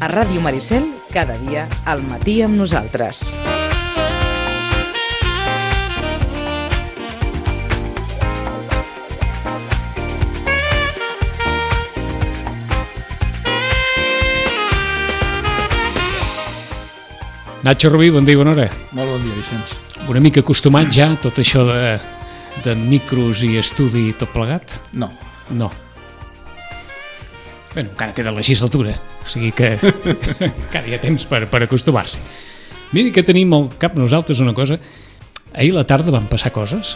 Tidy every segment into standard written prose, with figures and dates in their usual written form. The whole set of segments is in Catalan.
A Ràdio Maricel, cada dia al matí amb nosaltres. Nacho Rubí, bon dia i bona hora. Molt bon dia, Vicenç. Una mica acostumat ja a tot això de micros i estudi tot plegat? No. No. Bé, encara queda legislatura, o sigui que encara hi ha temps per acostumar-se. Mira que tenim al cap nosaltres una cosa. Ahir a la tarda van passar coses?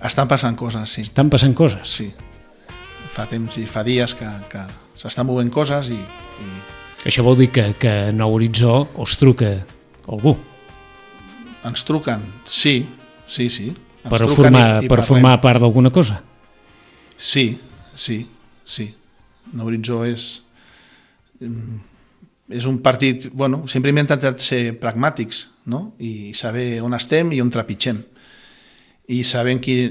Estan passant coses, sí. Estan passant coses? Sí. Fa temps i fa dies que s'estan movent coses i... Això vol dir que a Nou Horitzó us truca algú? Ens truquen, sí. Per formar part d'alguna cosa? Sí. Nou Horitzó és un partit... Bueno, sempre hem intentat ser pragmàtics, no? I saber on estem i on trepitgem. I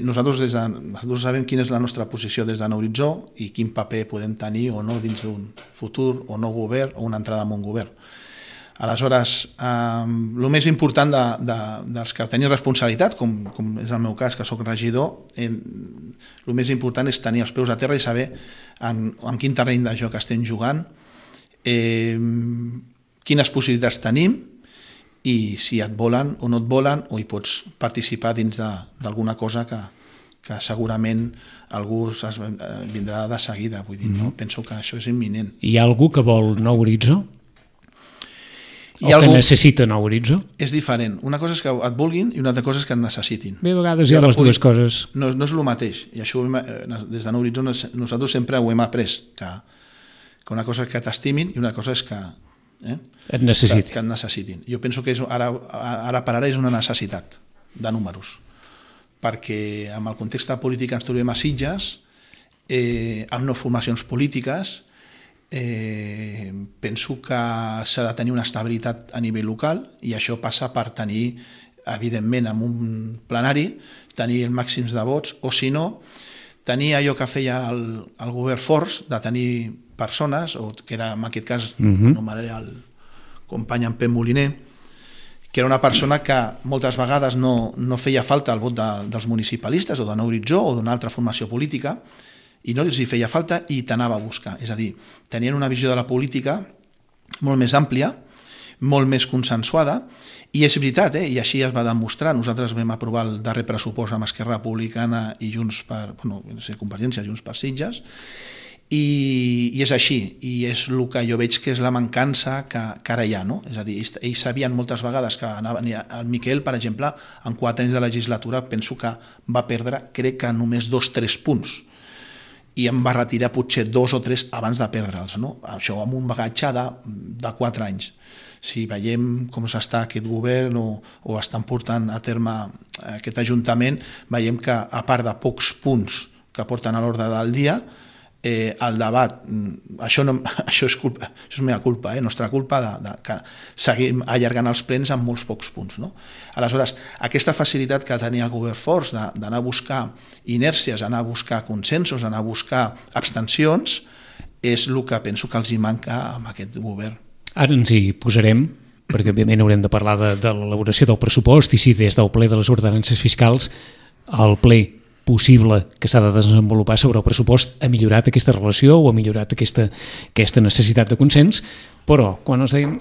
nosaltres sabem quina és la nostra posició des de Nou Horitzó i quin paper podem tenir o no dins d'un futur o nou govern o una entrada en un govern. Aleshores, el més important dels que tenen responsabilitat, com és el meu cas, que sóc regidor, el més important és tenir els peus a terra i saber en quin terreny de joc estem jugant, quines possibilitats tenim, i si et volen o no et volen, o hi pots participar dins d'alguna cosa que segurament algú vindrà de seguida. Vull dir, no? Penso que això és imminent. Hi ha algú que vol Nou Horitzó? O que necessita Nou Horitzó? És diferent. Una cosa és que et vulguin i una altra cosa és que et necessitin. Bé, a vegades hi ha les dues coses. No és el mateix. I això des de Nou Horitzó nosaltres sempre ho hem après, que una cosa és que t'estimin i una cosa és que et necessitin. Jo penso que ara per ara és una necessitat de números, perquè amb el context polític que ens trobem a Sitges, amb no formacions polítiques, penso que s'ha de tenir una estabilitat a nivell local i això passa per tenir, evidentment, en un plenari, tenir el màxim de vots, o si no, tenir allò que feia el govern Forç, de tenir persones, o que era en aquest cas anomenaré el company en Pep Moliner, que era una persona que moltes vegades no feia falta el vot dels municipalistes o de Nou Horitzó o d'una altra formació política i no els hi feia falta i t'anava a buscar. És a dir, tenien una visió de la política molt més àmplia, molt més consensuada, i és veritat, i així es va demostrar. Nosaltres vam aprovar el darrer pressupost amb Esquerra Republicana i Convergència, Junts per Sitges, i és així, i és el que jo veig que és la mancança que ara hi ha, no? És a dir, ells sabien moltes vegades que el Miquel, per exemple, en 4 anys de legislatura penso que va perdre, crec que només 2-3 punts, i em va retirar potser 2 o 3 abans de perdre'ls, no? Això amb un bagatge de 4 anys. Si veiem com s'està aquest govern o estan portant a terme aquest ajuntament, veiem que a part de pocs punts que porten a l'ordre del dia, el debat, això és meva culpa, nostra culpa, que seguim allargant els plens amb molts pocs punts. No? Aleshores, aquesta facilitat que tenia el govern Forç d'anar a buscar inèrcies, anar a buscar consensos, anar a buscar abstencions, és el que penso que els hi manca amb aquest govern. Ara ens hi posarem, perquè òbviament haurem de parlar de l'elaboració del pressupost i si des del ple de les ordenances fiscals el ple possible que s'ha de desenvolupar sobre el pressupost ha millorat aquesta relació o ha millorat aquesta necessitat de consens, però quan ens deien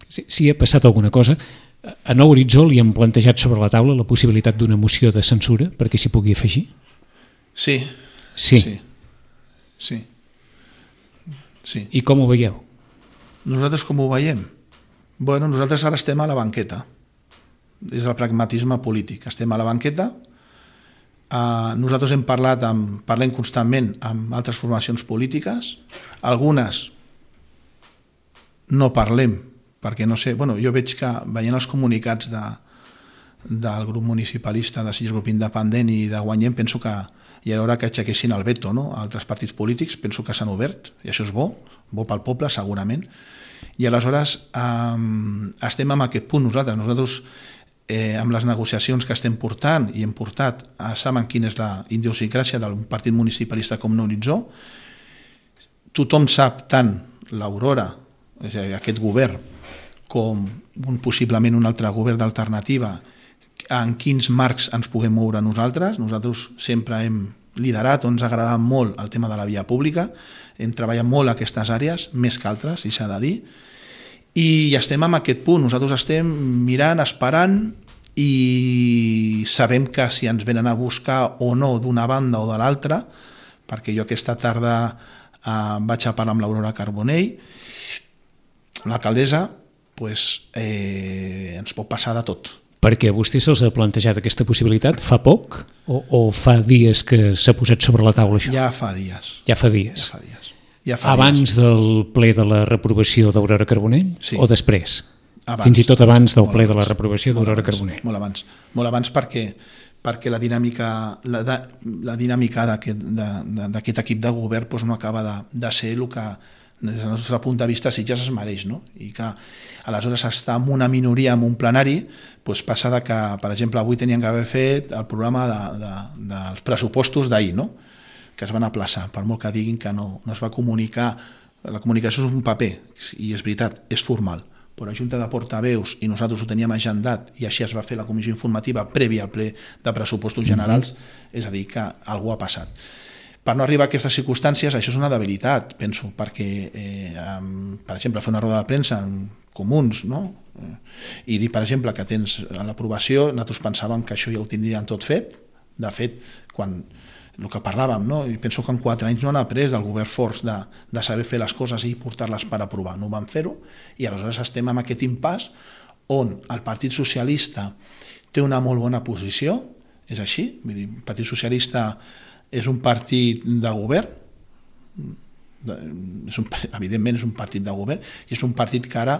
si ha passat alguna cosa, a Nou Horitzó li han plantejat sobre la taula la possibilitat d'una moció de censura perquè s'hi pugui afegir? Sí. I com ho veieu? Nosaltres com ho veiem? Bueno, nosaltres ara estem a la banqueta. És el pragmatisme polític. Estem a la banqueta. Nosaltres parlem constantment amb altres formacions polítiques, algunes no parlem perquè no sé, jo veig que veient els comunicats del grup municipalista de Sitges Grup Independent i de Guanyem, penso que hi ha l'hora que aixequessin el veto, no? Altres partits polítics penso que s'han obert i això és bo pel poble segurament, i aleshores estem en aquest punt nosaltres amb les negociacions que estem portant i hem portat, saben quina és la idiosincràsia d'un partit municipalista com Nou Horitzó. Tothom sap, tant l'Aurora és a dir, aquest govern, com possiblement un altre govern d'alternativa, en quins marcs ens puguem moure nosaltres. Nosaltres sempre hem liderat o ens ha agradat molt el tema de la via pública, hem treballat molt aquestes àrees, més que altres, si s'ha de dir, i estem en aquest punt. Nosaltres estem mirant, esperant, i sabem que si ens venen a buscar o no d'una banda o de l'altra, perquè jo aquesta tarda vaig a parlar amb l'Aurora Carbonell, l'alcaldessa, ens pot passar de tot. Perquè a vostè se'ls ha plantejat aquesta possibilitat fa poc o fa dies que s'ha posat sobre la taula això? Ja fa dies. Ja fa dies. Abans del ple de la reprovació d'Aurora Carbonell o després? Abans. Fins i tot abans del ple de la reprovació d'Aurora Carbonell. Molt abans perquè la dinàmica d'aquest equip de govern no acaba de ser el que des del nostre punt de vista Sitges es mereix, no? I clar, aleshores estar en una minoria en un plenari passa que, per exemple, avui tenien que haver fet el programa dels pressupostos d'ahir, no? Que es van aplaçar, per molt que diguin que no es va comunicar. La comunicació és un paper, i és veritat, és formal, però la Junta de Portaveus i nosaltres ho teníem agendat i així es va fer la comissió informativa prèvia al ple de pressupostos generals, és a dir, que algú ha passat. Per no arribar a aquestes circumstàncies, això és una debilitat, penso, perquè, per exemple, fer una roda de premsa en comuns, no? I dir, per exemple, que tens l'aprovació, nosaltres pensàvem que això ja ho tindrien tot fet. De fet, quan el que parlàvem, no? I penso que en 4 anys no han après del govern forts de saber fer les coses i portar-les per aprovar. No van fer-ho, i aleshores estem en aquest impàs on el Partit Socialista té una molt bona posició, és així, vull dir, el Partit Socialista és un partit de govern, evidentment és un partit de govern, i és un partit que ara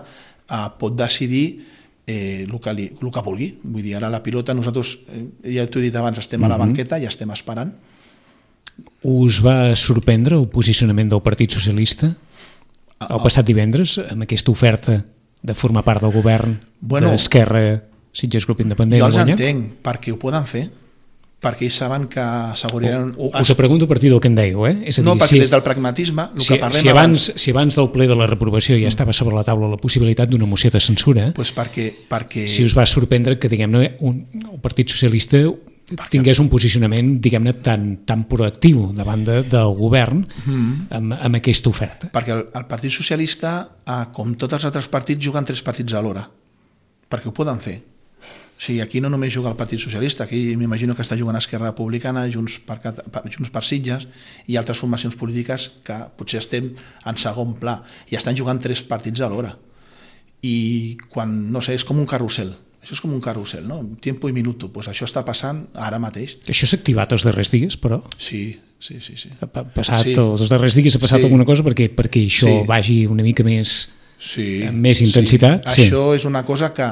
pot decidir el que vulgui. Vull dir, ara la pilota, nosaltres, ja t'ho he dit abans, estem a la banqueta i estem esperant. Us va sorprendre el posicionament del Partit Socialista el passat divendres amb aquesta oferta de formar part del govern d'Esquerra, Sitges Grup Independent? Jo els entenc, perquè ho poden fer, perquè ells saben que asseguraran... Us ho pregunto a partir del que em dèieu, És a dir, no, perquè des del pragmatisme, el que parlem si abans del ple de la reprovació ja estava sobre la taula la possibilitat d'una moció de censura, perquè si us va sorprendre que, diguem-ne, el Partit Socialista tingués un posicionament, diguem-ne, tan proactiu davant del govern amb aquesta oferta. Perquè el Partit Socialista, com tots els altres partits, juguen 3 partits alhora, perquè ho poden fer. O sigui, aquí no només juga el Partit Socialista, aquí m'imagino que està jugant Esquerra Republicana, Junts per Sitges i altres formacions polítiques que potser estem en segon pla, i estan jugant 3 partits alhora. I quan, no sé, és com un carrusel. Això és com un carrusel, no? Tiempo i minuto. Pues això està passant ara mateix. Això s'ha activat els darrers dies, però? Sí. Els darrers dies ha passat alguna cosa perquè això vagi una mica més... amb més intensitat. Això és una cosa que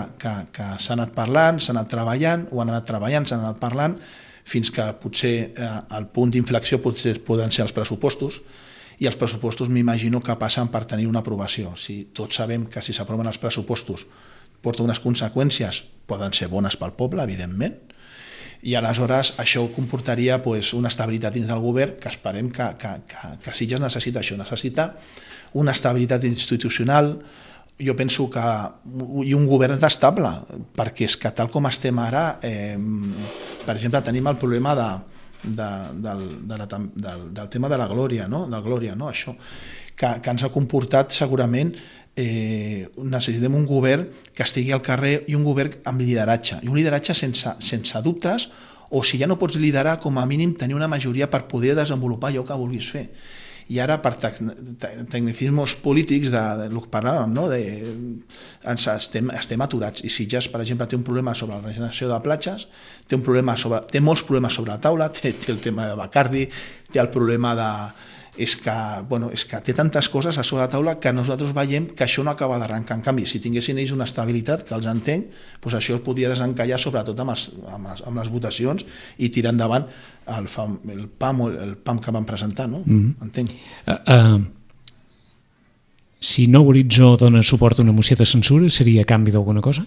s'ha anat parlant, s'ha anat treballant, s'han anat parlant, fins que potser el punt d'inflexió poden ser els pressupostos, i els pressupostos m'imagino que passen per tenir una aprovació. Si tots sabem que si s'aproven els pressupostos porta unes conseqüències, poden ser bones pel poble, evidentment, i aleshores això comportaria una estabilitat dins del govern que esperem que Sitges necessita això, necessita una estabilitat institucional, jo penso que i un govern estable, perquè és que tal com estem ara, per exemple, tenim el problema del tema de la Glòria, del Glòria, això, que ens ha comportat segurament necessitem un govern que estigui al carrer i un govern amb lideratge, i un lideratge sense dubtes, o si ja no pots liderar, com a mínim tenir una majoria per poder desenvolupar allò que vulguis fer. I ara per tecnicismes polítics del que parlàvem, estem aturats, i Sitges, per exemple, té un problema sobre la regeneració de platges, té molts problemes sobre la taula, té el tema de Bacardi, té el problema de... És que té tantes coses a sobre la taula que nosaltres veiem que això no acaba d'arrencar. En canvi, si tinguessin ells una estabilitat, que els entenc, doncs això el podia desencallar sobretot amb les votacions i tirar endavant el PAM que van presentar, no? Entenc. Si Nou Horitzó dona suport a una moció de censura, seria a canvi d'alguna cosa?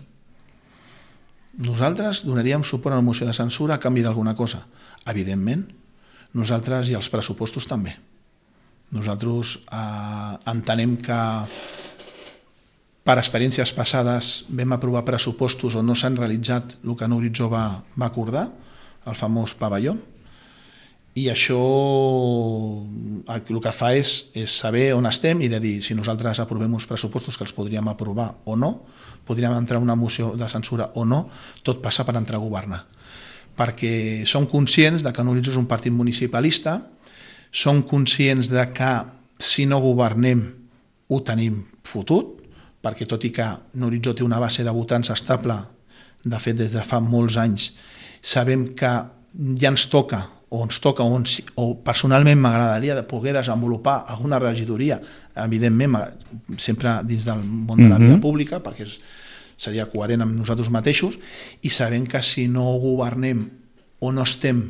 Nosaltres donaríem suport a una moció de censura a canvi d'alguna cosa. Evidentment, nosaltres i els pressupostos també. Nosaltres entenem que Per experiències passades vam aprovar pressupostos on no s'han realitzat el que Horitzó va acordar, el famós pavelló, i això el que fa és saber on estem i de dir si nosaltres aprovem uns pressupostos que els podríem aprovar o no, podríem entrar una moció de censura o no, tot passa per entrar a governar. Perquè som conscients de que Horitzó és un partit municipalista, som conscients de que si no governem ho tenim fotut, perquè tot i que Horitzó té una base de votants estable, de fet des de fa molts anys, sabem que ja ens toca, o personalment m'agradaria de poder desenvolupar alguna regidoria, evidentment sempre dins del món de la vida pública, perquè seria coherent amb nosaltres mateixos, i sabem que si no governem o no estem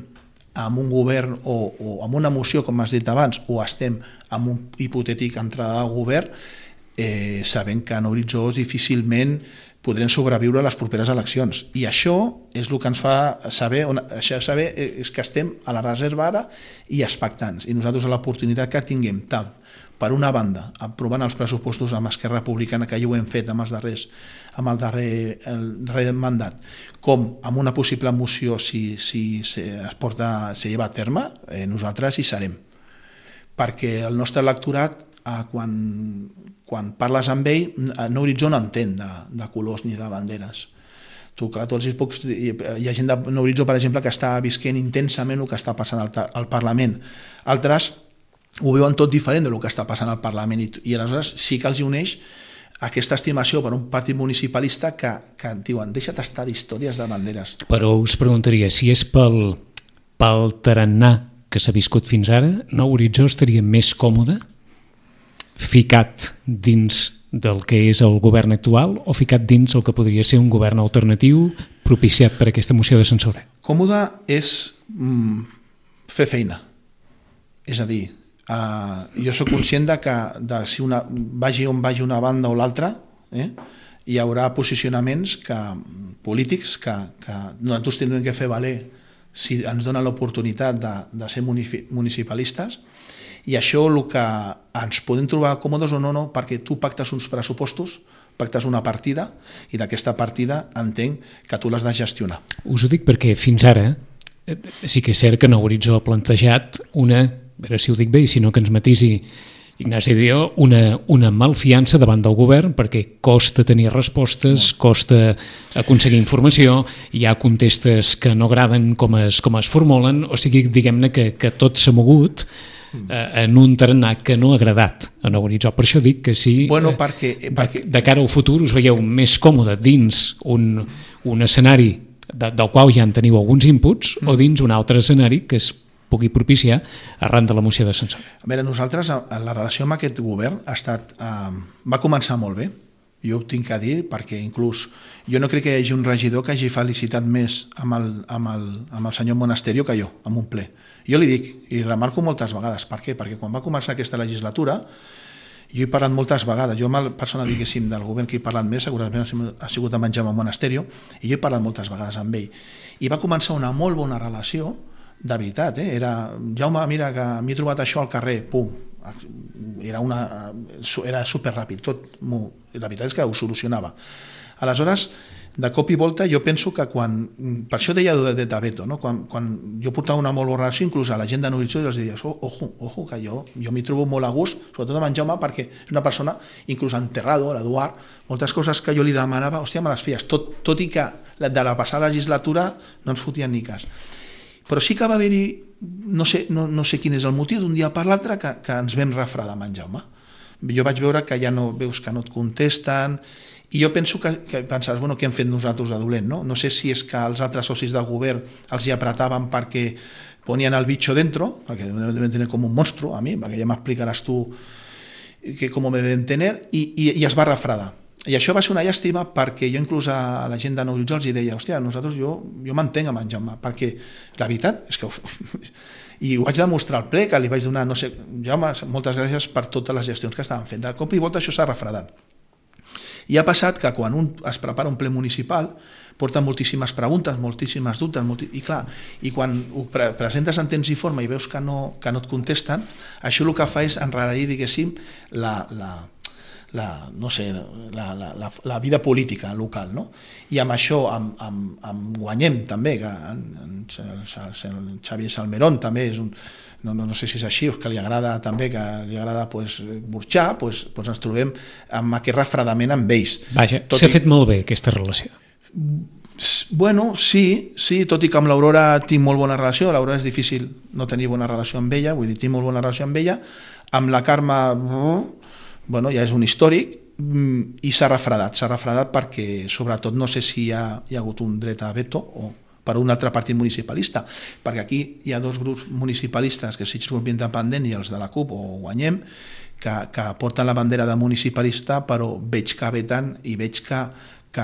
amb un govern o amb una moció, com has dit abans, o estem amb un hipotètic entrada de govern, sabem que en Horitzó difícilment podrem sobreviure a les properes eleccions. I això és el que ens fa saber, és que estem a la reserva ara i expectants. I nosaltres l'oportunitat que tinguem tant, per una banda, aprovant els pressupostos amb Esquerra Republicana, que ja ho hem fet amb el darrer mandat, com amb una possible moció si es lleva a terme, nosaltres hi serem. Perquè el nostre electorat, quan parles amb ell, Horitzó no entén de colors ni de banderes. Hi ha gent de Horitzó, per exemple, que està visquent intensament el que està passant al Parlament. Altres ho veuen tot diferent del que està passant al Parlament i aleshores sí que els uneix aquesta estimació per un partit municipalista que diuen deixa't estar d'històries de banderes. Però us preguntaria, si és pel tarannà que s'ha viscut fins ara, no Horitzó estaria més còmode ficat dins del que és el govern actual o ficat dins el que podria ser un govern alternatiu propiciat per aquesta moció de censura? Còmode és fer feina. És a dir, jo soc conscient que si vagi on vagi una banda o l'altra, hi haurà posicionaments polítics que nosaltres tindrem que fer valer si ens donen l'oportunitat de ser municipalistes. I això el que ens podem trobar còmodes o no, perquè tu pactes uns pressupostos, pactes una partida, i d'aquesta partida entenc que tu l'has de gestionar. Us ho dic perquè fins ara sí que és cert que Horitzó ha plantejat a veure si ho dic bé i si no que ens matisi Ignasi Dió, una malfiança davant del govern perquè costa tenir respostes, costa aconseguir informació, hi ha contestes que no agraden com es formulen, o sigui, diguem-ne que tot s'ha mogut en un tarannà que no ha agradat a Horitzó. Per això dic que sí, perquè de cara al futur us veieu més còmode dins un escenari del qual ja en teniu alguns inputs o dins un altre escenari que es pugui propiciar arran de la moció de censura. A veure, nosaltres, la relació amb aquest govern va començar molt bé. Jo ho tinc a dir perquè inclús jo no crec que hi hagi un regidor que hagi felicitat més amb el senyor Monasterio que jo, amb un ple. Jo li dic, i remarco moltes vegades, per què? Perquè quan va començar aquesta legislatura, jo he parlat moltes vegades, jo amb la persona, diguéssim, del govern que he parlat més, segurament ha sigut amb en Jaume Monasterio, i jo he parlat moltes vegades amb ell. I va començar una molt bona relació, de veritat, era Jaume, mira que m'he trobat això al carrer, pum, era superràpid, la veritat és que ho solucionava. Aleshores, de cop i volta, jo penso que per això deia de veto, no? Quan jo portava una molt bona relació, inclús a la gent de Horitzó, els diria, ojo, que jo m'hi trobo molt a gust, sobretot amb en Jaume, perquè és una persona, inclús enterrado, l'Eduard, moltes coses que jo li demanava, hòstia, me les feies, tot i que de la passada legislatura no ens fotien ni cas. Però sí que va haver-hi, no sé quin és el motiu, d'un dia per l'altre que ens vam refredar amb en Jaume. Jo vaig veure que ja no veus que no et contesten, i jo penso que pensaves, bueno, què hem fet nosaltres de dolent, no? No sé si és que els altres socis del govern els hi apretaven perquè ponien el bicho dentro, perquè deben tenir com un monstruo a mi, perquè ja m'explicaràs tu com me deben tener, i es va refredar. I això va ser una llàstima perquè jo inclús a la gent de Horitzó els deia, hòstia, nosaltres jo m'entenc amb en Jaume, perquè la veritat és que... I ho vaig demostrar al ple, que li vaig donar, no sé, Jaume, moltes gràcies per totes les gestions que estaven fent. De cop i volta això s'ha refredat. I ha passat que quan es prepara un ple municipal porta moltíssimes preguntes, moltíssimes dubtes, i clar, i quan ho presentes en temps i forma i veus que no et contesten, això el que fa és enrarir, diguéssim, no sé, la vida política local, no? I amb això amb Guanyem també, que el Xavier Salmerón també és un, no sé si és així, que li agrada també, que li agrada burxar, ens trobem amb aquest refredament amb ells. Vaja, s'ha fet molt bé aquesta relació. Bueno, sí, tot i que amb l'Aurora tinc molt bona relació, l'Aurora és difícil no tenir bona relació amb ella, vull dir, tinc molt bona relació amb ella, amb la Carme, bueno, ja és un històric, i s'ha refredat perquè, sobretot, no sé si hi ha hagut un dret a veto o per un altre partit municipalista, perquè aquí hi ha dos grups municipalistes, que és el grup independent i els de la CUP o Guanyem, que porten la bandera de municipalista, però veig que veten i veig que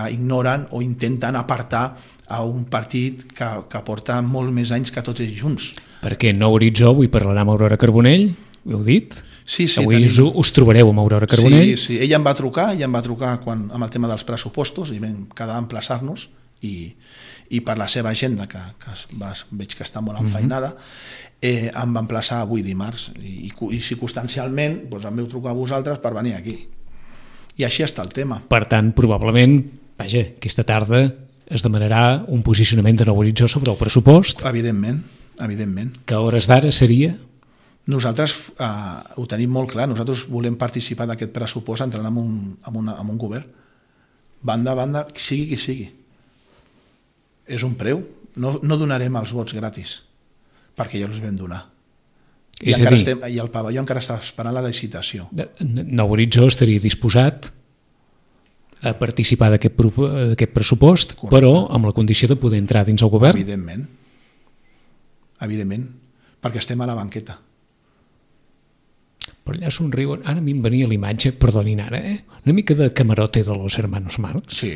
ignoren o intenten apartar a un partit que porta molt més anys que tots ells junts. Perquè Nou Horitzó, avui parlarà amb Aurora Carbonell, ho heu dit? Sí, avui us trobareu amb Aurora Carbonell? Sí, ella em va trucar amb el tema dels pressupostos i vam quedar a emplaçar-nos i per la seva agenda, que veig que està molt enfeinada, em va emplaçar avui dimarts i circumstancialment em vau trucar a vosaltres per venir aquí. I així està el tema. Per tant, probablement, vaja, aquesta tarda es demanarà un posicionament de Nou Horitzó sobre el pressupost. Evidentment. Que a hores d'ara seria? Nosaltres ho tenim molt clar, nosaltres volem participar d'aquest pressupost entrant en un govern. Banda a banda, sigui qui sigui. És un preu. No donarem els vots gratis, perquè ja els vam donar. I el pavelló encara està esperant la licitació. Nou Horitzó estaria disposat a participar d'aquest pressupost, correcte, però amb la condició de poder entrar dins el govern? Evidentment, perquè estem a la banqueta. Però allà somriuen. Ara a mi em venia l'imatge, perdonin ara, una mica de camarote de los hermanos Marx. Sí.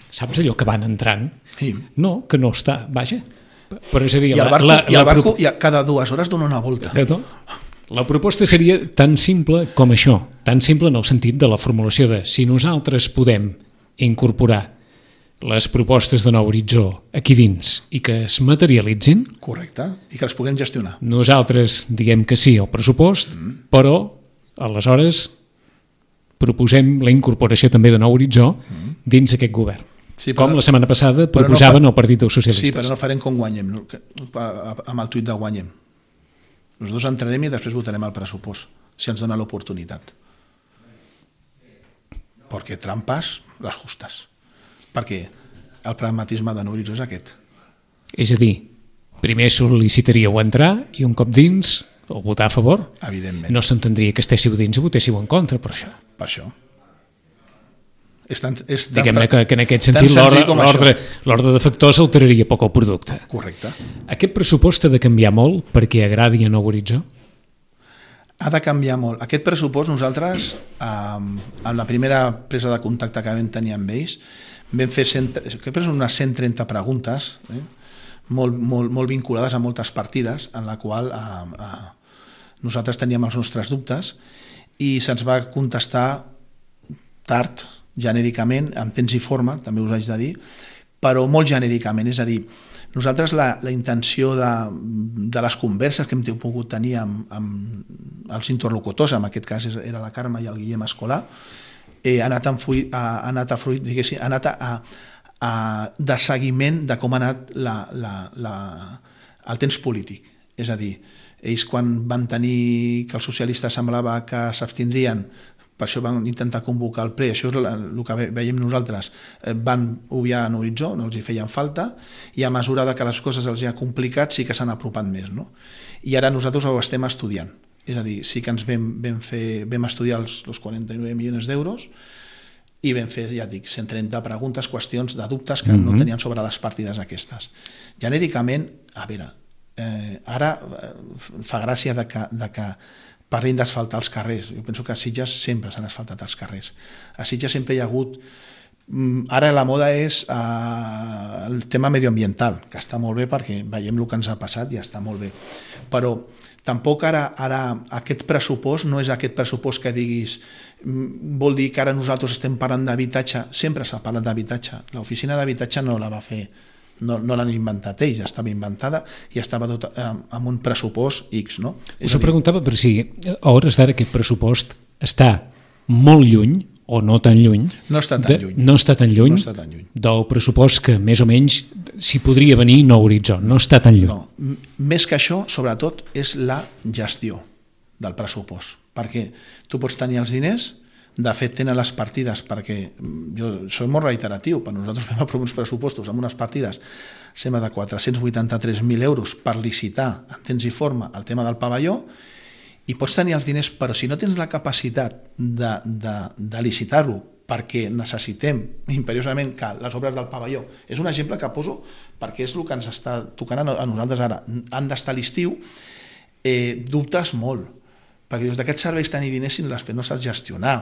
Saps allò que van entrant? Sí. No, que no està, vaja. Però és a dir, I el barco cada 2 hores dona una volta. La proposta seria tan simple com això, tan simple en el sentit de la formulació de si nosaltres podem incorporar les propostes de Nou Horitzó aquí dins i que es materialitzin. Correcte, i que les puguem gestionar. Nosaltres diguem que sí al pressupost, però aleshores proposem la incorporació també de Nou Horitzó dins aquest govern. Sí, com la setmana passada proposaven el Partit dels Socialistes. Sí, però no farem com Guanyem, amb el tuit de Guanyem. Nosaltres entrarem i després votarem el pressupost, si ens dona l'oportunitat. Perquè trampes, les justes. Perquè el pragmatisme de Nou Horitzó és aquest. És a dir, primer sol·licitaríeu entrar i un cop dins o votar a favor? Evidentment. No s'entendria que estéssiu dins i votéssiu en contra per això. Per això. Diguem-ne que en aquest sentit l'ordre de factors alteraria poc el producte. Correcte. Aquest pressupost ha de canviar molt perquè agradi a Nou Horitzó? Ha de canviar molt. Aquest pressupost nosaltres, amb la primera presa de contacte que vam tenir amb ells, vam fer unes 130 preguntes, molt vinculades a moltes partides, en la qual nosaltres teníem els nostres dubtes i se'ns va contestar tard, genèricament, amb temps i forma, també us haig de dir, però molt genèricament, és a dir, nosaltres la intenció de les converses que hem pogut tenir amb els interlocutors, en aquest cas era la Carme i el Guillem Escolà, ha anat de seguiment de com ha anat el temps polític. És a dir, ells quan van tenir que els socialistes semblava que s'abstindrien, per això van intentar convocar el ple, això és el que veiem nosaltres, van obviar Nou Horitzó, no els hi feien falta, i a mesura que les coses els hi ha complicat sí que s'han apropat més. No? I ara nosaltres ho estem estudiant, és a dir, sí que ens vam estudiar els 49 milions d'euros i vam fer, ja dic, 130 preguntes, qüestions de dubtes que no tenien sobre les partides aquestes. Genèricament, a veure, ara fa gràcia de que parlin d'asfaltar els carrers. Jo penso que a Sitges sempre s'han asfaltat els carrers. A Sitges sempre hi ha hagut... Ara la moda és el tema medioambiental, que està molt bé perquè veiem el que ens ha passat i està molt bé. Però tampoc ara aquest pressupost no és aquest pressupost que diguis vol dir que ara nosaltres estem parlant d'habitatge. Sempre s'ha parlat d'habitatge. L'oficina d'habitatge no la va fer, no l'han inventat ells, estava inventada i estava tot amb un pressupost X. No? Us ho preguntava per si a hores d'ara aquest pressupost està molt lluny, o no tan lluny, No està tan lluny. no està tan lluny No està tan lluny. del pressupost que més o menys s'hi podria venir Nou Horitzó, no està tan lluny. No, més que això, sobretot, és la gestió del pressupost, perquè tu pots tenir els diners, de fet tenen les partides, perquè jo soc molt reiteratiu, per nosaltres vam aprovar uns pressupostos amb unes partides sembla de 483.000 euros per licitar en temps i forma el tema del pavelló, i pots tenir els diners, però si no tens la capacitat de licitar-lo perquè necessitem imperiosament que les obres del pavelló, és un exemple que poso perquè és el que ens està tocant a nosaltres ara, han d'estar a l'estiu, dubtes molt, perquè dius, d'aquests serveis tenir diners si després no saps gestionar.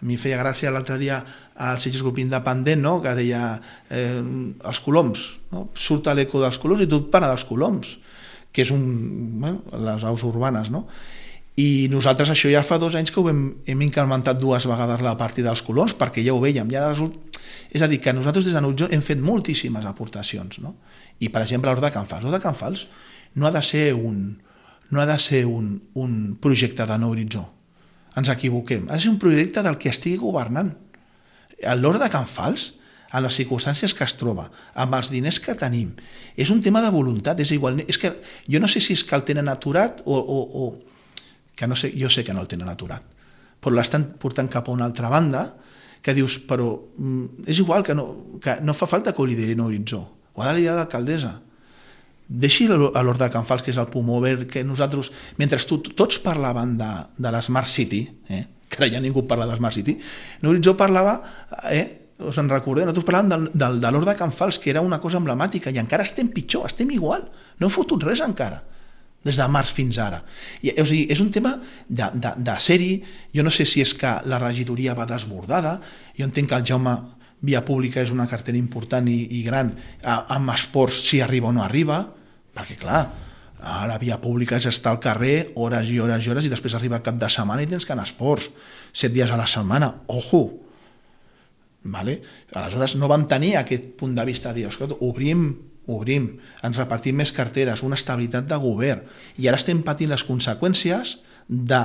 A mi feia gràcia l'altre dia al Sitges Grup Independent, no? Que deia els coloms, no? Surt l'eco dels coloms i tot para dels coloms, que és les aus urbanes, no? I nosaltres això ja fa 2 anys que hem incrementat 2 vegades la partida dels coloms perquè ja ho vèiem. És a dir, que nosaltres des de Nou Horitzó hem fet moltíssimes aportacions, no? I per exemple l'Hort de Can Fals. L'Hort de Can Fals no ha de ser un projecte de Nou Horitzó. Ens equivoquem. Ha de ser un projecte del que estigui governant. L'Hort de Can Fals, en les circumstàncies que es troba, amb els diners que tenim, és un tema de voluntat. És igual. És que jo no sé si és que el tenen aturat o que no sé, jo sé que no el tenen aturat, però l'estan portant cap a una altra banda, que dius, però és igual, que no fa falta que ho lideri Nou Horitzó, ho ha de liderar l'alcaldessa. Deixi l'Hort de Can Fals, que és el pulmó verd, que nosaltres, mentre tots parlaven de l'Smart City, que ara ja ningú parla de l'Smart City, Nou Horitzó parlava, us en recordeu, nosaltres parlàvem de l'Hort de Can Fals, que era una cosa emblemàtica, i encara estem pitjor, estem igual, no hem fotut res encara, des de març fins ara. O sigui, és un tema de ser-hi. Jo no sé si és que la regidoria va desbordada, jo entenc que el Jaume Via Pública és una cartera important i gran, amb esports si arriba o no arriba, perquè clar, a la Via Pública és estar al carrer hores i hores i hores i després arriba el cap de setmana i tens que anar a esports 7 dies a la setmana, ojo. Vale? Aleshores no van tenir aquest punt de vista de dir, escolta, obrim, ens repartim més carteres, una estabilitat de govern, i ara estem patint les conseqüències de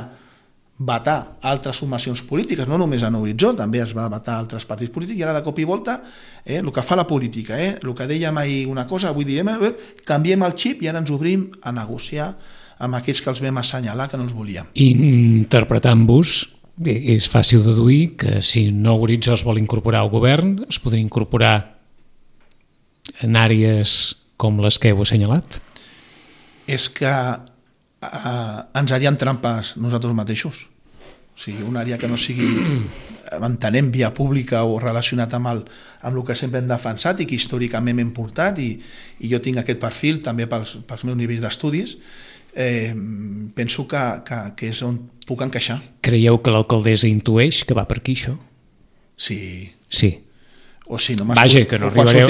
vetar altres formacions polítiques, no només a Nou Horitzó, també es va vetar altres partits polítics, i ara de cop i volta, el que fa la política, el que dèiem ahir una cosa, avui diem, canviem el xip i ara ens obrim a negociar amb aquells que els vam assenyalar que no els volíem. Interpretant-vos, és fàcil deduir que si Nou Horitzó es vol incorporar al govern, es podria incorporar en àrees com les que heu assenyalat? És que ens haríem trampes nosaltres mateixos. O sigui, una àrea que no sigui, entenem, via pública o relacionat amb el que sempre hem defensat i que històricament hem portat, i jo tinc aquest perfil també pels meus nivells d'estudis, penso que és on puc encaixar. Creieu que l'alcaldessa intueix que va per aquí, això? Sí. Sí. O si no vaja, que no arribareu...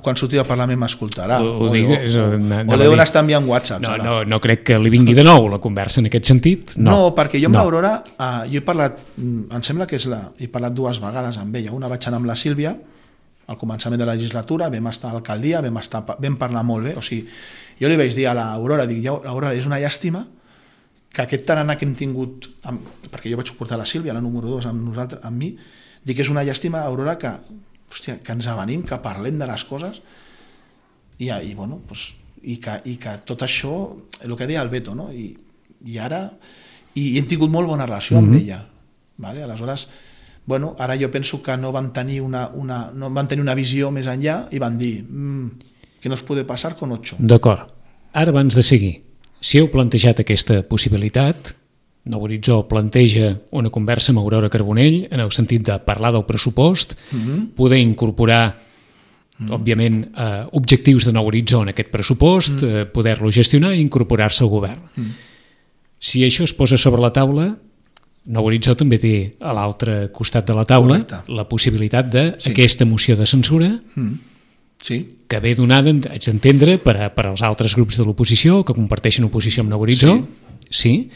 Quan surti del Parlament m'escoltarà. O li deuen estar enviant whatsapps. No crec que li vingui de nou la conversa en aquest sentit. No, perquè jo amb l'Aurora, jo he parlat, em sembla que he parlat 2 vegades amb ella. Una vaig anar amb la Sílvia, al començament de la legislatura, vam estar a l'alcaldia, vam parlar molt bé. O sigui, jo li vaig dir a l'Aurora, Aurora, és una llàstima que aquest tarannà que hem tingut, perquè jo vaig portar la Sílvia, la número 2, amb mi, dic que és una llàstima, Aurora, que ens avenim, que parlem de les coses i que tot això, el que deia el Beto, no? I ara hem tingut molt bona relació amb ella. Vale? Aleshores, ara jo penso que no van tenir una visió més enllà i van dir que no es pot passar con 8. D'acord. Ara, abans de seguir, si heu plantejat aquesta possibilitat, Nou Horitzó planteja una conversa amb Aurora Carbonell en el sentit de parlar del pressupost, poder incorporar, òbviament, objectius de Nou Horitzó en aquest pressupost, poder-lo gestionar i incorporar-se al govern. Si això es posa sobre la taula, Nou Horitzó també té a l'altre costat de la taula la possibilitat d'aquesta moció de censura que ve donada, haig d'entendre, per als altres grups de l'oposició que comparteixen oposició amb Nou Horitzó, sí,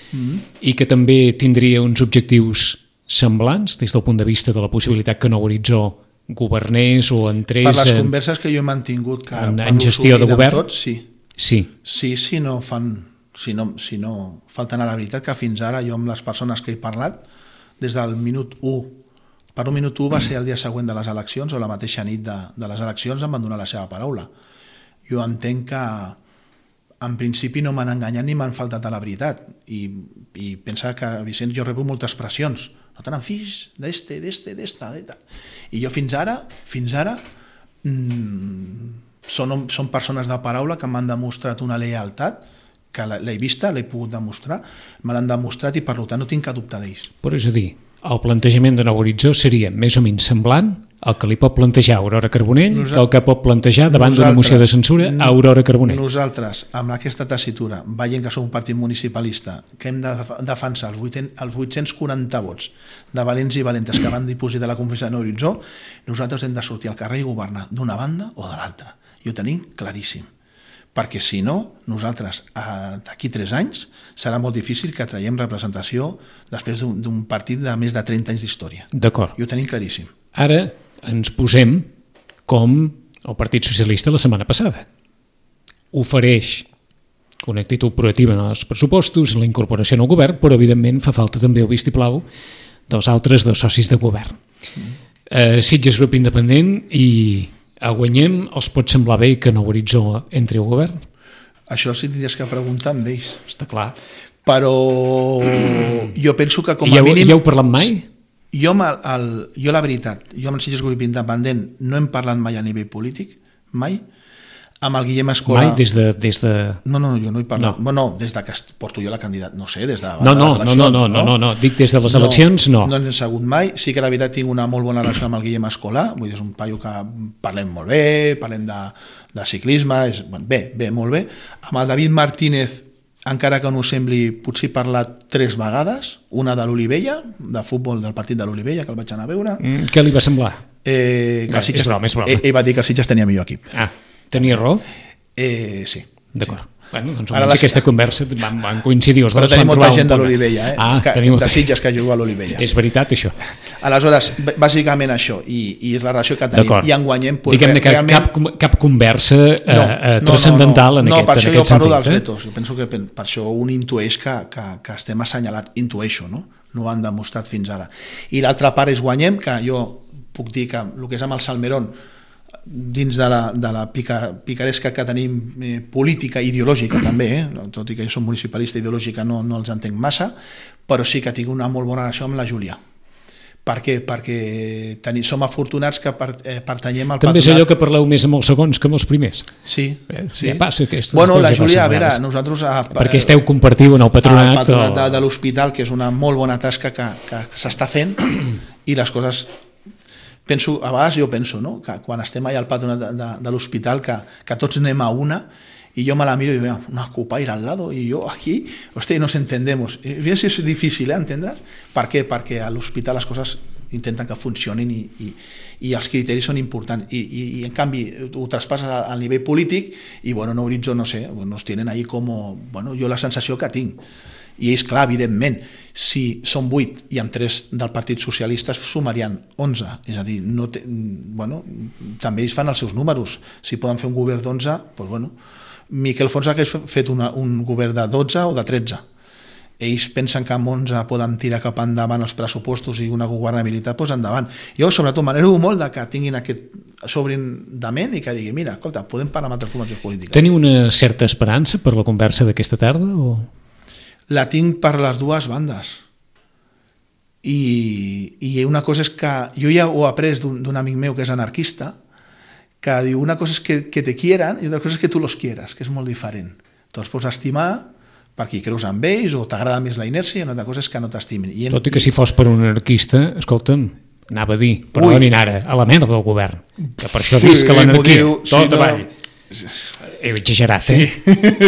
i que també tindria uns objectius semblants des del punt de vista de la possibilitat que Nou Horitzó governés o entrés... Per les converses que jo he mantingut en gestió de govern? Tots, sí, si no falten a la veritat, que fins ara jo amb les persones que he parlat des del minut 1. Per un minut 1 va ser el dia següent de les eleccions o la mateixa nit de les eleccions em van donar la seva paraula. Jo entenc que en principi no m'han enganyat ni m'han faltat a la veritat i pensa que, Vicenç, jo rebo moltes pressions. No te n'enfis d'esta. I jo fins ara són persones de paraula que m'han demostrat una lleialtat, que l'he vista, l'he pogut demostrar, me l'han demostrat i per tant no tinc cap dubte d'ells. Però és a dir, el plantejament de Nou Horitzó seria més o menys semblant el que li pot plantejar Aurora Carbonell que el que pot plantejar davant d'una moció de censura a Aurora Carbonell. Nosaltres, amb aquesta tessitura, veient que som un partit municipalista, que hem de defensar els 840 vots de valents i valentes que van dipositar la confiança de Nou Horitzó, nosaltres hem de sortir al carrer i governar d'una banda o de l'altra. I ho tenim claríssim. Perquè si no, nosaltres d'aquí 3 anys serà molt difícil que traiem representació després d'un partit de més de 30 anys d'història. D'acord. I ho tenim claríssim. Ara ens posem com el Partit Socialista la setmana passada. Ofereix una actitud proactiva en els pressupostos, la incorporació en el govern, però evidentment fa falta també el vistiplau dels altres 2 socis de govern. Sitges grup independent i a Guanyem els pot semblar bé que Nou Horitzó entri al govern? Això sí tindries que preguntar amb ells. Està clar. Però jo penso que com a mínim... Ja heu parlat mai? Jo la veritat, jo amb el Sitges grup independent no hem parlat mai a nivell polític, mai. Amb el Guillem Escolar... Mai des de... No, jo no he parlat. No, des de que porto jo la candidat, no sé, des de les eleccions. No, dic des de les eleccions, no. No n'he sabut mai. Sí que la veritat tinc una molt bona relació amb el Guillem Escolar, vull dir, és un paio que parlem molt bé, parlem de ciclisme, bé, molt bé. Amb el David Martínez, encara que no ho sembli, potser he parlat 3 vegades, una de l'Olivella, de futbol del partit de l'Olivella, que el vaig anar a veure. Què li va semblar? És broma. Ell va dir que el Sitges tenia millor equip. Tenia raó? Sí. D'acord. Bueno, doncs almenys aquesta conversa van coincidir. Però tenim molta gent de l'Olivella, de Sitges que juga a l'Olivella. És veritat, això. Aleshores, bàsicament això, i és la relació que tenim. I en Guanyem... Diguem-ne que cap conversa transcendental en aquest sentit. No, per això jo parlo dels vetos. Jo penso que per això un intueix que estem assenyalat, intueixo, no? No ho han demostrat fins ara. I l'altra part és Guanyem, que jo puc dir que el que és amb el Salmerón, dins de la picaresca que tenim política, ideològica també, tot i que jo soc municipalista, ideològica no els entenc massa, però sí que tinc una molt bona relació amb la Júlia. Per què? Perquè som afortunats que pertanyem al patronat. També és allò que parleu més amb els segons que amb els primers. Sí. Ja passa bueno, la Júlia, a veure, nosaltres... Perquè esteu compartiu en el patronat. El patronat de l'hospital, que és una molt bona tasca que s'està fent, i les coses... A vegades jo penso, no?, que quan estem allà al patronat de l'hospital, que tots anem a una, y yo me la miro y digo, una copaire al lado, y yo aquí, hostia, nos entendemos. Y si es difícil, ¿entendrás? ¿Per què? Perquè a l'hospital les coses intenten que funcionin i els criteris són importants. I en canvi, ho traspasses al nivell polític i, bueno, Nou Horitzó, no sé, nos tienen ahí como... Bueno, jo la sensació que tinc. I és clar, evidentment, si són 8 i amb 3 del Partit Socialista es sumarien 11, és a dir, també ells fan els seus números, si poden fer un govern d'11, doncs bueno, Miquel Fons hagués fet un govern de 12 o de 13, ells pensen que amb 11 poden tirar cap endavant els pressupostos i una governabilitat, doncs endavant. Jo sobretot m'alegro molt que tinguin aquest sobrindament i que digui, mira, escolta, podem parlar amb altres formacions polítiques. Teniu una certa esperança per la conversa d'aquesta tarda o...? La tinc per les dues bandes. I una cosa és que... Jo ja ho he après d'un amic meu que és anarquista, que diu, una cosa és que te quieran i otra cosa és que tu los quieras, que és molt diferent. Tu els pots estimar perquè hi creus amb ells o t'agrada més la inèrcia i una altra cosa és que no t'estimin. Tot i que si fos per un anarquista, escolta'm, anava a dir, perdonin ara, a la merda del govern, que per això dius que l'anarquia, tot avall. He exagerat, sí,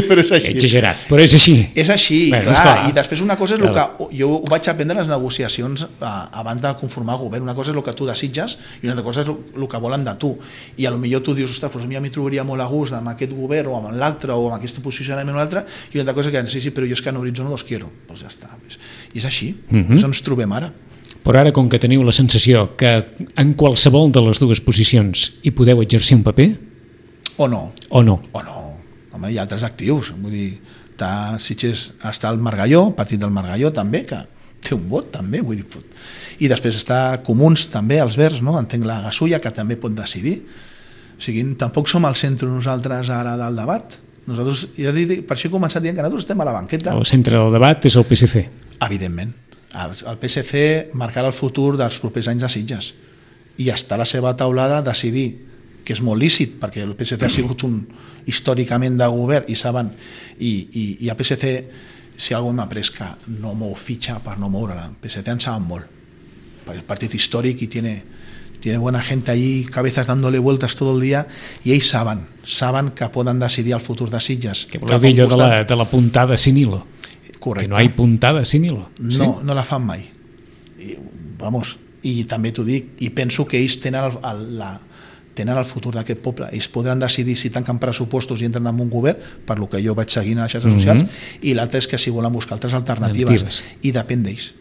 però és així. He exagerat, però és així. És així, bueno, clar. I després una cosa és el que jo ho vaig aprendre en les negociacions abans de conformar govern. Una cosa és el que tu desitges i una altra cosa és el que volen de tu. I potser tu dius, ostres, a mi m'hi trobaria molt a gust amb aquest govern o amb l'altre o amb aquest posicionament o l'altre, i una altra cosa que sí, però jo és que en Horitzó no los quiero. Doncs ja està. I és així, és on ens trobem ara. Però ara, com que teniu la sensació que en qualsevol de les dues posicions hi podeu exercir un paper... O no. O no. Home, hi ha altres actius. Vull dir, Sitges està el Margalló, el partit del Margalló també, que té un vot també, vull dir, i després està Comuns també, els Verds, no? Entenc la Gasulla, que també pot decidir. O sigui, tampoc som al centre nosaltres ara del debat. Nosaltres, ja dic, per això he començat dient que nosaltres estem a la banqueta. El centre del debat és el PSC. Evidentment. El PSC marcarà el futur dels propers anys de Sitges i està a la seva taulada decidir, que és molt lícit, perquè el PSC ha sigut històricament de govern i saben, i el PSC, si algú m'ha après que no mou fitxa per no moure-la, el PSC en saben molt, perquè el partit històric i tiene buena gente allí, cabezas dándole vueltas todo el día, i ells saben que poden decidir el futur de Sitges. Que voleu dir allò de la puntada sin hilo? Correcte. Que no hi puntada sin hilo. ¿Sí? No la fan mai. I també t'ho dic, i penso que ells tenen el futur d'aquest poble. Ells podran decidir si tanquen pressupostos i entren en un govern, per lo que jo vaig seguint a les xarxes socials, i l'altre és que si volen buscar altres alternatives. I depèn d'ells.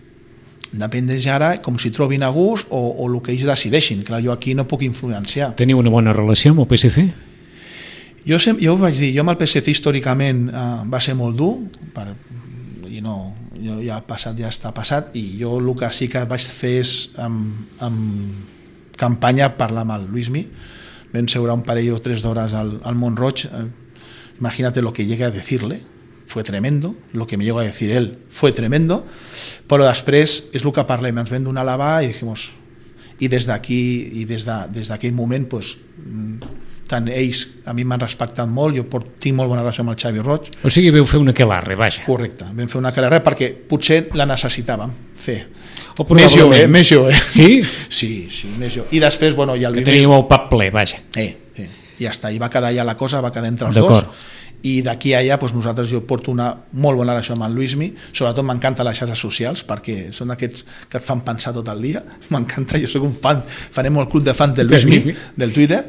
Depèn d'ells ara, com si trobin a gust o el que ells decideixin. Clar, jo aquí no puc influenciar. Teniu una bona relació amb el PSC? Jo ho vaig dir, jo amb el PSC històricament va ser molt dur, i no, ja està passat, i jo el que sí que vaig fer és amb campanya parlar amb el Luismi. Vam seure un parell o 3 d'hores al Mont-roig. Imagínate lo que llegué a decirle, fue tremendo, lo que me llegó a decir él fue tremendo, però després és el que parlem, ens vam donar a lavar i dijimos, i des d'aquí i des d'aquell moment pues, tant ells a mi m'han respectat molt, jo tinc molt bona relació amb el Xavi Roig. O sigui, veu fer una aquelarre, vaja. Correcte, vam fer una aquelarre perquè potser la necessitàvem fer. Més jove. Sí? Sí, més jove. I després, bueno, ja que teníeu el pap ple, vaja. Ja està, i va quedar ja la cosa, va quedar entre els dos. I d'aquí a allà nosaltres jo porto una molt bona relació amb el Luismi, sobretot m'encanta les xarxes socials perquè són aquests que et fan pensar tot el dia, m'encanta, jo soc un fan, farem el club de fans del Luismi, del Twitter,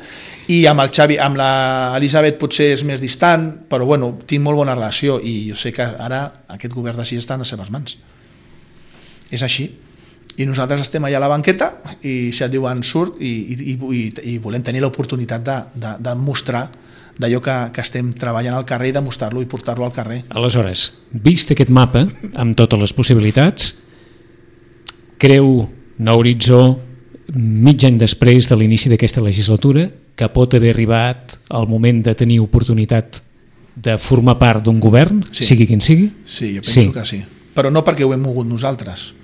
i amb el Xavi, amb l'Elisabet potser és més distant, però bueno, tinc molt bona relació i jo sé que ara aquest govern d'així està en les seves mans. És així. I nosaltres estem allà a la banqueta i si et diuen surt i volem tenir l'oportunitat de mostrar d'allò que estem treballant al carrer i demostrar-lo i portar-lo al carrer. Aleshores, vist aquest mapa, amb totes les possibilitats, creu Nou Horitzó, mig any després de l'inici d'aquesta legislatura, que pot haver arribat el moment de tenir oportunitat de formar part d'un govern, sigui quin sigui? Sí, jo penso que sí. Però no perquè ho hem mogut nosaltres,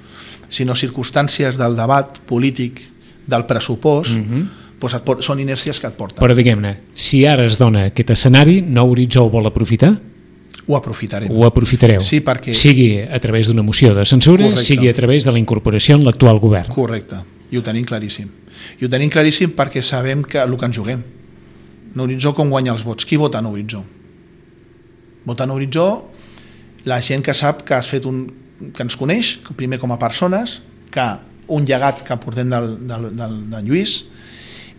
sinó circumstàncies del debat polític, del pressupost, són inèrcies que et porten. Però diguem-ne, si ara es dona aquest escenari, Nou Horitzó ho vol aprofitar? Ho aprofitarem. Ho aprofitareu. Sí, perquè... Sigui a través d'una moció de censura, sigui a través de la incorporació en l'actual govern. Correcte, i ho tenim claríssim. I ho tenim claríssim perquè sabem que el que ens juguem. Nou Horitzó com guanya els vots? Qui vota Nou Horitzó? Vota Nou Horitzó la gent que sap que has fet que ens coneix, primer com a persones, que un llegat que portem del Lluís,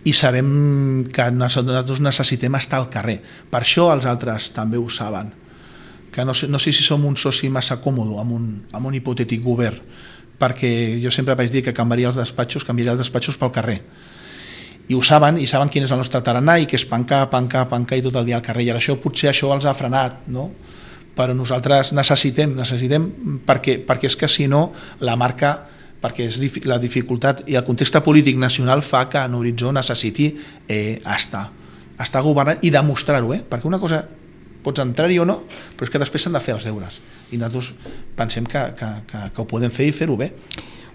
i sabem que nosaltres necessitem estar al carrer. Per això els altres també ho saben, que no sé si som un soci massa còmode amb un hipotètic govern, perquè jo sempre vaig dir que canviaria els despatxos pel carrer. I ho saben, i saben quin és el nostre tarannà, i que és pencar i tot el dia al carrer, i això potser això els ha frenat, no? Però nosaltres necessitem perquè és que si no la marca, perquè la dificultat i el context polític nacional fa que Nou Horitzó necessiti estar governant i demostrar-ho, perquè una cosa pots entrar-hi o no, però és que després s'han de fer els deures i nosaltres pensem que ho podem fer i fer-ho bé.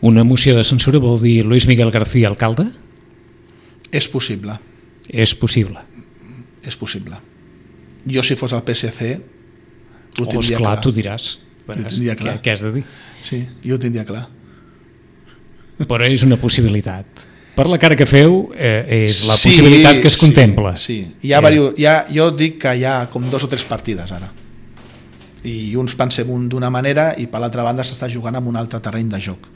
Una moció de censura vol dir Luis Miguel García alcalde? És possible. És possible. És possible. Jo si fos el PSC ho tindria clar. clar. Tu diràs. Què has de dir? Sí, jo ho tindria clar. Però és una possibilitat. Per la cara que feu, és la possibilitat que es contempla. Sí. Jo dic que hi ha com 2 o 3 partides ara. I uns pensem d'una manera i per l'altra banda s'està jugant en un altre terreny de joc.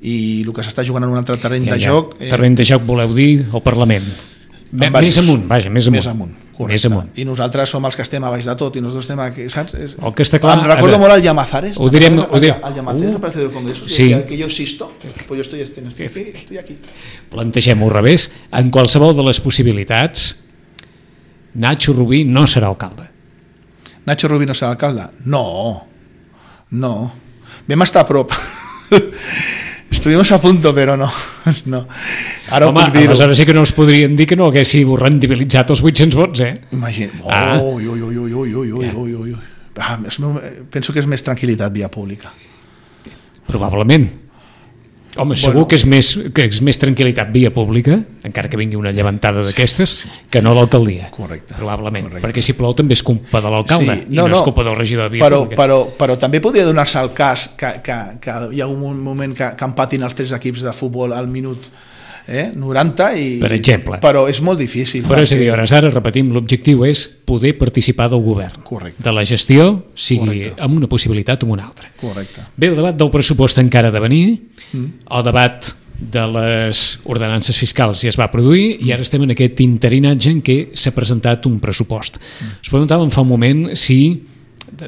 I el que s'està jugant en un altre terreny de joc... Terreny de joc voleu dir el Parlament. Més amunt, vaja, més amunt. Correcte. I nosaltres som els que estem a baix de tot i nosaltres estem aquí, saps? El que està clar... Em recordo molt al Llamazares. Ho direm... Al Llamazares, al Palacio del Congreso, que yo existo, pues yo estoy aquí. Plantegem-ho al revés. En qualsevol de les possibilitats, Nacho Rubí no serà alcalde. Nacho Rubí no serà alcalde? No. Vam estar a prop. Estuvimos a punto, però no. Ara home, aleshores sí que no us podrien dir que no haguéssiu rendibilitzat els 800 vots, Imagina. Penso que és més tranquil·litat via pública. Probablement. Home, segur que és més tranquil·litat via pública, encara que vingui una llevantada d'aquestes, que no l'alcaldia. Correcte. Probablement, perquè si plou també és culpa de l'alcalde i no és culpa del regidor de via pública. Però també podria donar-se el cas que hi ha un moment que empatin els 3 equips de futbol al minut 90 per exemple. Però és molt difícil. Però és a dir, ara repetim, l'objectiu és poder participar del govern. Correcte. De la gestió, sigui amb una possibilitat o amb una altra. Correcte. Bé, el debat del pressupost encara ha de venir, el debat de les ordenances fiscals ja es va produir i ara estem en aquest interinatge en què s'ha presentat un pressupost. Us preguntàvem fa un moment si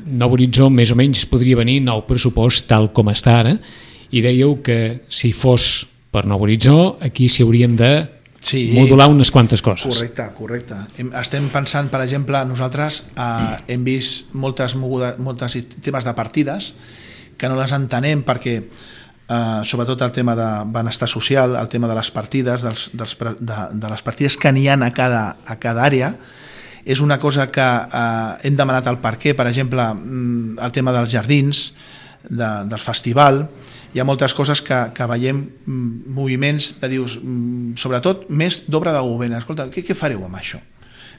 nou horitzó més o menys podria venir nou pressupost tal com està ara i dèieu que si fos per nou horitzó aquí s'hi haurien de modular unes quantes coses. Correcte. Estem pensant, per exemple, nosaltres hem vist moltes temes de partides que no les entenem perquè sobretot el tema de benestar social, el tema de les partides, de les partides que n'hi ha a cada àrea, és una cosa que hem demanat el per què, per exemple, el tema dels jardins, del festival. Hi ha moltes coses que veiem moviments de dius, sobretot més d'obra de govern. Escolta, què fareu amb això?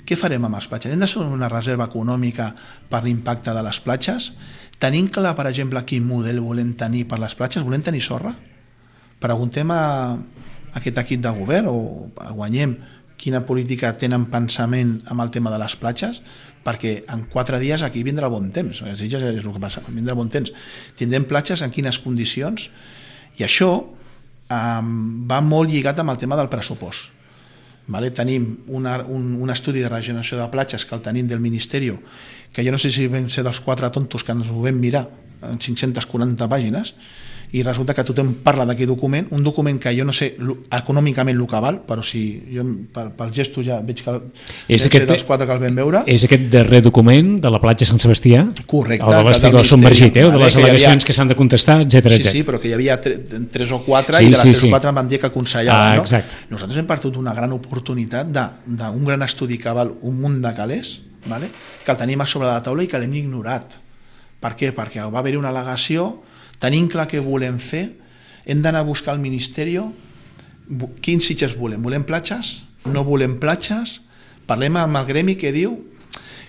Què farem amb les platges? Hem de fer una reserva econòmica per l'impacte de les platges? Tenim clar, per exemple, quin model volem tenir per les platges? Volem tenir sorra? Preguntem a aquest equip de govern o guanyem quina política tenen pensament amb el tema de les platges? Perquè en 4 dies aquí vindrà bon temps, és el que passa, vindrà bon temps. Tindrem platges en quines condicions? I això va molt lligat amb el tema del pressupost. Tenim un estudi de regeneració de platges que el tenim del Ministeri, que jo no sé si vam ser dels 4 tontos que ens ho vam mirar en 540 pàgines, i resulta que tothom parla d'aquest document, un document que jo no sé econòmicament el que val, però si jo pel gesto ja veig que és dels 4 que el vam veure. És aquest darrer document de la platja Sant Sebastià? Correcte. El de l'espigó submergit, o de les al·legacions que s'han de contestar, etcètera. Sí, però que hi havia 3 o 4 i de les 3 o 4 em van dir que aconsellaven. Nosaltres hem perdut una gran oportunitat d'un gran estudi que val un munt de calés, que el tenim a sobre de la taula i que l'hem ignorat. Per què? Perquè va haver-hi una al·legació. Tenim clar què volem fer, hem d'anar a buscar al Ministeri quins sitges volem. Volem platges? No volem platges? Parlem amb el gremi que diu...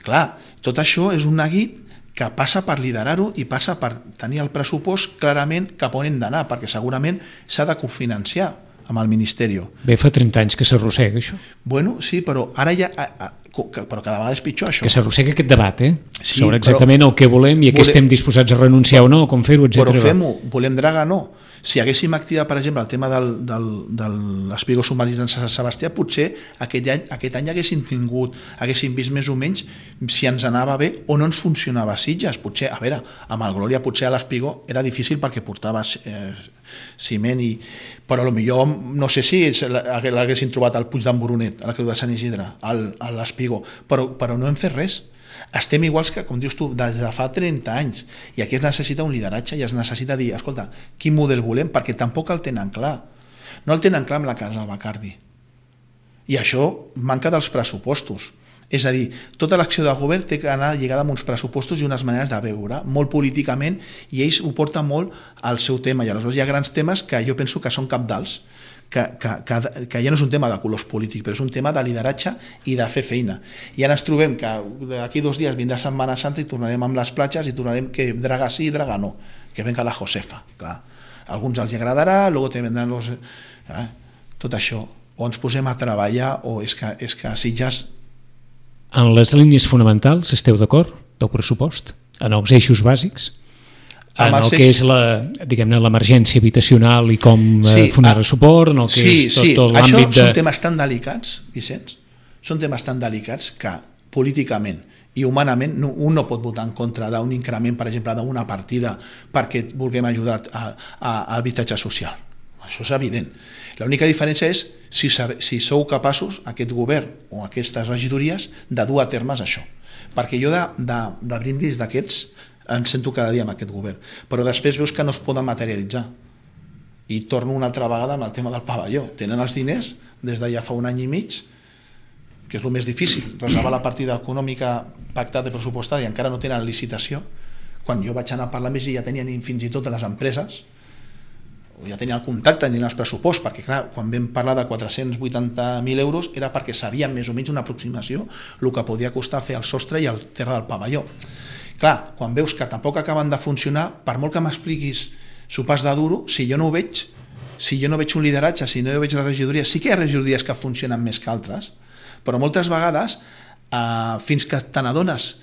Clar, tot això és un neguit que passa per liderar-ho i passa per tenir el pressupost clarament cap on hem d'anar, perquè segurament s'ha de cofinanciar amb el Ministeri. Bé, fa 30 anys que s'arrossega això. Bueno, sí, però ara ja... però cada vegada és pitjor això. Que s'arrossega aquest debat, sobre exactament el que volem i a què estem disposats a renunciar o no, com fer-ho, etc. Però fem-ho, volem dragar, no. Si haguéssim activat, per exemple, el tema de l'espigó submarí de Sant Sebastià, potser aquest any haguéssim vist més o menys si ens anava bé o no ens funcionava a Sitges. Potser, a veure, amb el Glòria potser a l'espigó era difícil perquè portava ciment, però potser no sé si l'haguessin trobat al Puig d'en Brunet, a la Creu de Sant Isidre, a l'espigó, però no hem fet res. Estem iguals que, com dius tu, des de fa 30 anys, i aquí es necessita un lideratge i es necessita dir, escolta, quin model volem? Perquè tampoc el tenen clar. No el tenen clar amb la casa Bacardi. I això manca dels pressupostos. És a dir, tota l'acció de govern té que anar lligada amb uns pressupostos i unes maneres de veure, molt políticament, i ells ho porten molt al seu tema. I aleshores hi ha grans temes que jo penso que són cabdals, que ja no és un tema de colors polítics, però és un tema de lideratge i de fer feina. I ara ens trobem que d'aquí 2 dies vindrà Setmana Santa i tornarem amb les platges i tornarem que draga sí i draga no, que venga la Josefa. Clar. A alguns els agradarà, luego te vendran los... Tot això. O ens posem a treballar o és que a Sitges... En les línies fonamentals esteu d'acord del pressupost? En els eixos bàsics? En el que és l'emergència habitacional i com donar suport, en el que és tot l'àmbit de... Això són temes tan delicats, Vicenç, són temes tan delicats que políticament i humanament un no pot votar en contra d'un increment, per exemple, d'una partida perquè vulguem ajudar a l'habitatge social. Això és evident. L'única diferència és si sou capaços, aquest govern o aquestes regidories, de dur a termes això. Perquè jo de brindis d'aquests en sento cada dia amb aquest govern, però després veus que no es poden materialitzar. I torno una altra vegada amb el tema del pavelló. Tenen els diners des de ja fa un any i mig, que és el més difícil, reservar la partida econòmica pactada i pressupostada, i encara no tenen licitació. Quan jo vaig anar a parlar amb ells ja tenien fins i tot les empreses, ja tenien el contacte, tenien els pressuposts, perquè clar, quan vam parlar de 480.000 euros era perquè sabíem més o menys una aproximació el que podia costar fer el sostre i el terra del pavelló. Clar, quan veus que tampoc acaben de funcionar, per molt que m'expliquis sopars de duro, si jo no ho veig, si jo no veig un lideratge, si no veig la regidoria, sí que hi ha regidories que funcionen més que altres, però moltes vegades, fins que te n'adones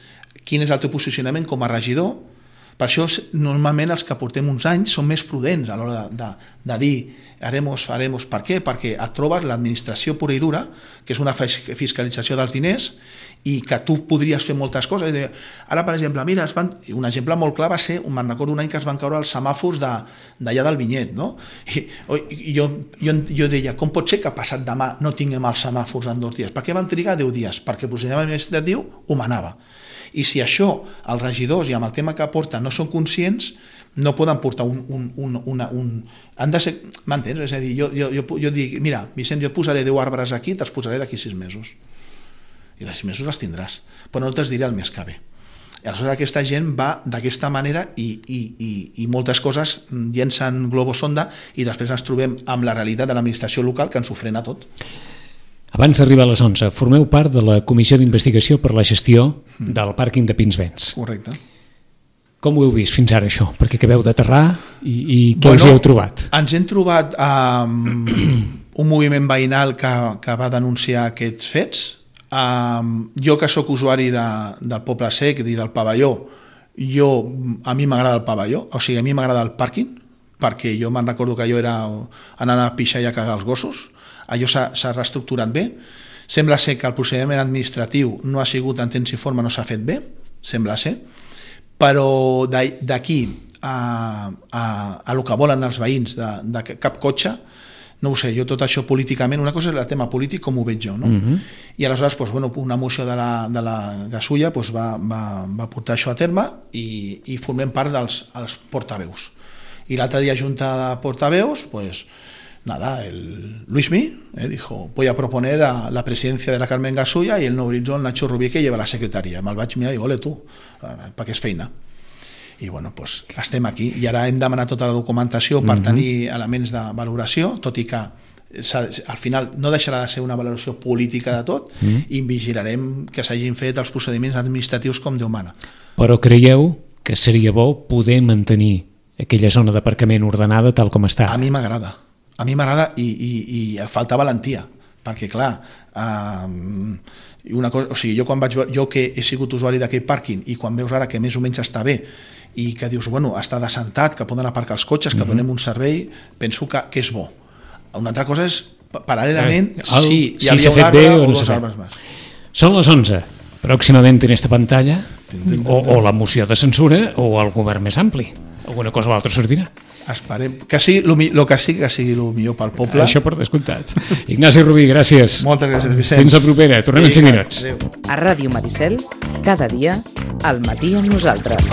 quin és el teu posicionament com a regidor, per això normalment els que portem uns anys són més prudents a l'hora de dir faremos. Per què? Perquè et trobes l'administració pura i dura, que és una fiscalització dels diners, i que tu podries fer moltes coses. Ara, per exemple, mira, un exemple molt clar va ser, me'n recordo un any que es van caure els semàfors d'allà del Vinyet, no? I jo deia, com pot ser que passat demà no tinguem els semàfors en 2 dies? Per què van trigar 10 dies? Perquè el procediment administratiu ho manava. I si això els regidors i amb el tema que aporten no són conscients, no poden portar han de ser, m'entens? És a dir, jo dic, mira, Vicent, jo posaré 10 arbres aquí, te'ls posaré d'aquí 6 mesos. I de 6 mesos les tindràs, però no te'ls diré el mes que ve. I aleshores aquesta gent va d'aquesta manera i moltes coses llencen globus sonda i després ens trobem amb la realitat de l'administració local que ens ho frena tot. Abans d'arribar a les 11, formeu part de la Comissió d'Investigació per la Gestió del pàrquing de Pinsbens. Correcte. Com ho heu vist fins ara, això? Perquè acabeu d'aterrar i què us hi heu trobat? Ens hem trobat un moviment veïnal que va denunciar aquests fets. Jo, que sóc usuari del Poble Sec i del pavelló, a mi m'agrada el pavelló, o sigui, a mi m'agrada el pàrquing, perquè jo me'n recordo que jo era anar a pixar i a cagar els gossos. Allò s'ha reestructurat bé. Sembla ser que el procediment administratiu no ha sigut en temps i forma, no s'ha fet bé, sembla ser, però d'aquí a el que volen els veïns de cap cotxe, no ho sé, jo tot això políticament, una cosa és el tema polític com ho veig jo, no? I aleshores una moció de la Gasulla va portar això a terme i formem part dels portaveus. I l'altre dia, junta de portaveus, el Luismi dijo, voy a proponer a la presidencia de la Carmen Gasulla y el nou horitzó el Nacho Rubí que lleva la secretaria. Me'l vaig mirar i dic, ole tu, perquè és feina. I estem aquí i ara hem demanat tota la documentació per tenir elements de valoració, tot i que al final no deixarà de ser una valoració política de tot i vigilarem que s'hagin fet els procediments administratius com Déu mana. Però creieu que seria bo poder mantenir aquella zona d'aparcament ordenada tal com està? A mi m'agrada i falta valentia, perquè clar, jo que he sigut usuari d'aquell pàrquing i quan veus ara que més o menys està bé i que dius, està descentat, que poden aparcar els cotxes, que donem un servei, penso que és bo. Una altra cosa és, paral·lelament, si hi havia un arbre o 2 arbres més. Són les 11. Pròximament en esta pantalla o la moció de censura o el govern més ampli. Alguna cosa o l'altra sortirà. Esperem que sigui el millor pel poble. Això per descomptat. Ignasi Rubí, gràcies. Moltes gràcies, Vicent. Fins la propera. Tornem en 5 minuts. A Ràdio Maricel, cada dia, al matí amb nosaltres.